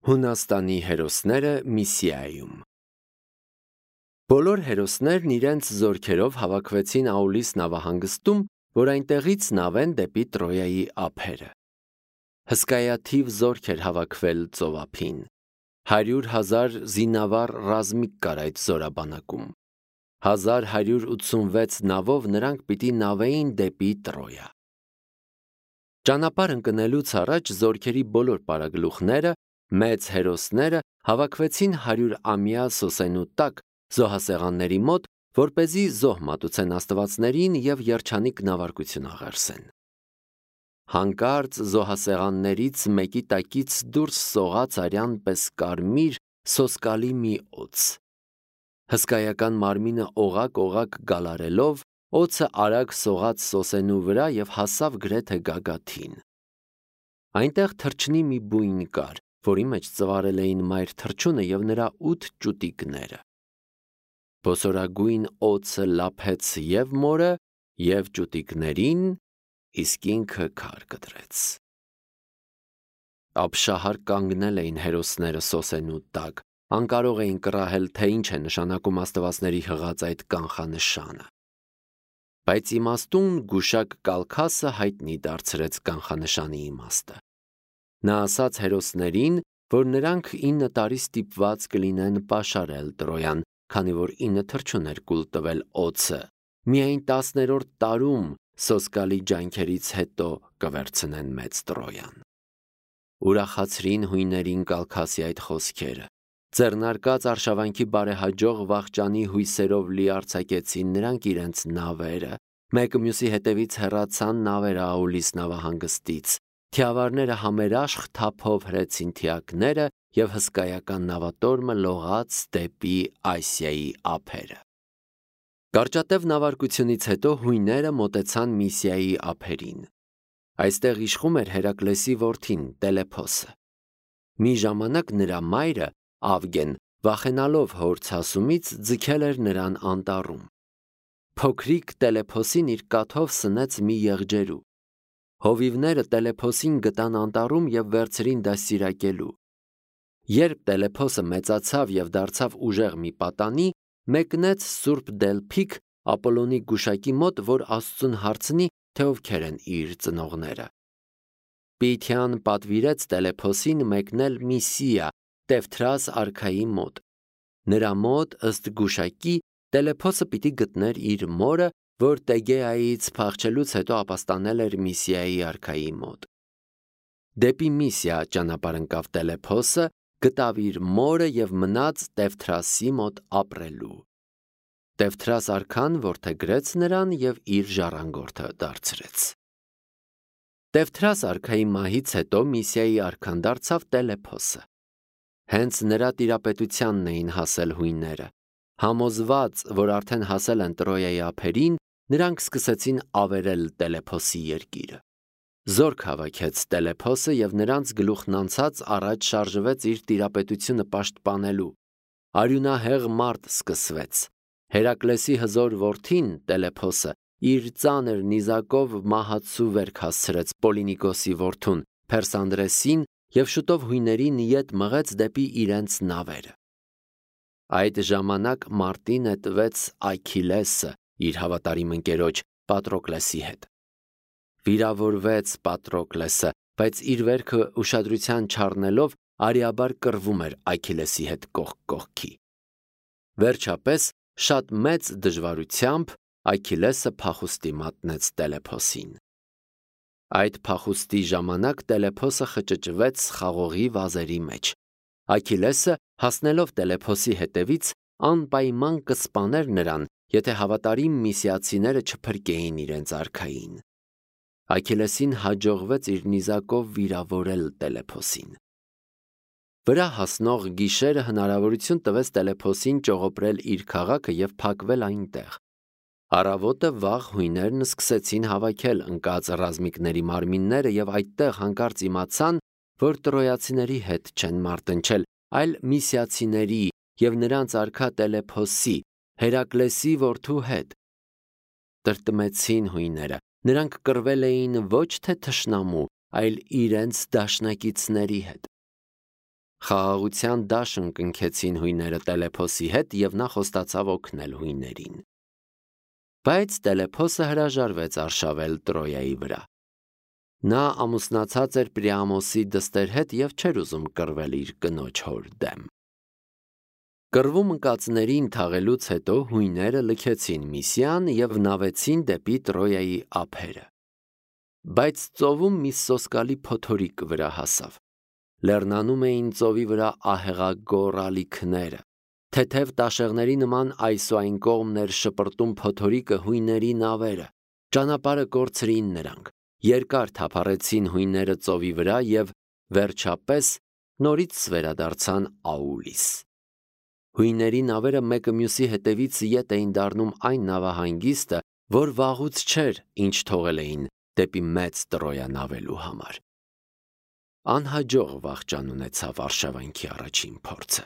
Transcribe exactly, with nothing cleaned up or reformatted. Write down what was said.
Հունաստանի հերոսները Միսիայում Բոլոր հերոսներն իրենց զորքերով հավաքվեցին Աուլիս նավահանգստում, որ այնտեղից նավեն դեպի Տրոյայի ափերը։ Հսկայաթիվ զորք էր հավաքվել ծովափին։ Հարյուր հազար զինավառ ռազմիկ կար այդ զորաբանակում։ Հազար հարյուր ութսունվեց նավով նրանք պիտի նավեին դեպի Տրոյա։ Ճանապարհ ընկնելուց առաջ զորքերի բոլոր պարագլուխները, մեծ հերոսները հավաքվեցին հարյուրամյա սոսենու տակ զոհասեղանների մոտ, որպեսզի զոհ մատուցեն աստվածներին և երջանիկ նավարկություն աղերսեն։ Հանկարծ զոհասեղաններից մեկի տակից դուրս սողաց արյան պես կարմիր սոսկալի մի օձ։ Հսկայական մարմինը օղակ-օղակ գալարելով, օձը արագ սողաց սոսենու վրա և հասավ գրեթե գագաթին։ Այնտեղ թռչնի մի բույն կար, որի մեջ ծվարել էին մայր թռչունը և նրա ութ ճուտիկները։ Բոսորագույն օձը լափեց և մորը, և ճուտիկներին, իսկ ինքը քար կտրեց։ Ապշահար կանգնել էին հերոսները սոսենու տակ, անկարող էին կռահել, թե ինչ է նշանակում աստվածների հղած այդ կանխանշանը։ Բայց իմաստուն գուշակ Կալքասը հայտնի դարձրեց կանխանշանի իմաստը։ Նա ասաց հերոսներին, որ նրանք ինը տարի ստիպված կլինեն պաշարել Տրոյան, քանի որ ինը թռչուն էր կուլ տվել օձը, միայն տասներորդ տարում սոսկալի ջանքերից հետո կվերցնեն մեծ Տրոյան։ Ուրախացրին հույներին Կալքասի այդ խոսքերը։ Ձեռնարկած արշավանքի բարեհաջող վախճանի հույսերով լի արձակեցին նրանք իրենց նավերը, մեկը մյուսի հետևից հեռացան նավերը Աուլիս նավահանգստից, թիավարները համերաշխ թափով հրեցին թիակները և հսկայական նավատորմը լողաց դեպի Ասիայի ափերը։ Կարճատև նավարկությունից հետո հույները մոտեցան Միսիայի ափերին։ Այստեղ իշխում էր Հերակլեսի որդին Տելեփոսը։ Մի ժամանակ նրա մայրը Ավգեն, վախենալով հոր ցասումից, ձգել էր նրան անտառում։ Փոքրիկ Տելեփոսին իր կաթով սնեց մի եղջերու։ Հովիվները Տելեփոսին գտան անտառում և վերցրին դաստիարակելու։ Երբ Տելեփոսը մեծացավ և դարձավ ուժեղ մի պատանի, մեկնեց Սուրբ Դելփիկ Ապոլոնի գուշակի մոտ, որ Աստծուն հարցնի, թե ովքեր են իր ծնողները։ Պիթյան պատվիրեց Տելեփոսին մեկնել Միսիա Տևթրաս արքայի մոտ։ Նրա մոտ, ըստ գուշակի, Տելեփոսը պիտի գտներ իր մորը, որ Տեգեայից փախչելուց հետո ապաստանել էր Միսիայի արքայի մոտ։ Դեպի Միսիա ճանապարհ ընկավ Տելեփոսը, գտավ իր մորը և մնաց Տևթրասի մոտ ապրելու։ Տևթրաս արքան որդեգրեց նրան և իր ժառանգորդը դարձրեց։ Տևթրաս արքայի մահից հետո Միսիայի արքան դարձավ Տելեփոսը։ Հենց նրա տիրապետությանն էին հասել հույները։ Համոզված, որ արդեն հասել են Տրոյայի ափերին, նրանք սկսեցին ավերել Տելեփոսի երկիրը։ Զորք հավաքեց Տելեփոսը և նրանց գլուխն անցած առաջ շարժվեց իր տիրապետությունը պաշտպանելու։ Արյունահեղ մարտ սկսվեց։ Հերակլեսի հզոր որդին Տելեփոսը իր ծանր նիզակով մահացու վերք հասցրեց Պոլինիկոսի որդուն Փերսանդրեսին և շուտով հույներին ետ մղեց դեպի իրենց նավերը։ Այդ ժամանակ մարտի նետվեց Այքիլեսը իր հավատարիմ ընկերոջ Պատրոկլեսի հետ։ Վիրավորվեց Պատրոկլեսը, բայց իր վերքը ուշադրության չառնելով արիաբար կռվում էր Այքիլեսի հետ կողք կողքի։ Վերջապես, շատ մեծ դժվարությամբ Այքիլեսը փախուստի մատնեց Տելեփոսին։ Այդ փախուստի ժամանակ Տելեփոսը խճճվեց խաղողի վազերի մեջ։ Այքիլեսը, հասնելով Տելեփոսի հետևից, անպայման կսպաներ նրան, եթե հավատարիմ միսիացիները չփրկեին իրենց արքային։ Այքիլեսին հաջողվեց իր նիզակով վիրավորել Տելեփոսին։ Վրա հասնող գիշերը հնարավորություն տվեց Տելեփոսին ճողոպրել իր քաղաքը և փակվել այնտեղ։ Առավոտը վաղ հույներն սկսեցին հավաքել ընկած ռազմիկների մարմինները և այդտեղ հանկարծ իմացան, որ տրոյացիների հետ չեն մարտնչել, այլ միսիացիների և նրանց արքա Տելեփոսի, Հերակլեսի որդու հետ։ Տրտմեցին հույները, նրանք կռվել էին ոչ թե թշնամու, այլ իրենց դաշնակիցների հետ։ Խաղաղության դաշն կնքեցին հույները Տելեփոսի հետ եւ նա խոստացավ օգնել հույներին։ Բայց Տելեփոսը հրաժարվեց արշավել Տրոյայի վրա։ Նա ամուսնացած էր Պրիամոսի դստեր հետ եւ չէր ուզում կռվել իր կնոջ հոր դեմ։ Կռվում ընկածներին թաղելուց հետո հույները լքեցին Միսիան եւ նավեցին դեպի Տրոյայի ափերը։ Բայց ծովում մի սոսկալի փոթորիկ վրա հասավ։ Լեռնանում էին ծովի վրա ահեղագոր ալիքները։ Թեթև տաշեղների նման այս ու այն կողմներ շպրտում փոթորիկը հույների նավերը։ Ճանապարհը կորցրին նրանք։ Երկար թափառեցին հույները ծովի վրա եւ վերջապես նորից վերադարձան Աուլիս։ Հույների նավերը մեկը մյուսի հետևից ետ էին դառնում այն նավահանգիստը, որ վաղուց չէր, ինչ թողել էին դեպի մեծ Տրոյա նավելու համար։ Անհաջող վախճան ունեցավ արշավանքի առաջին փորձը։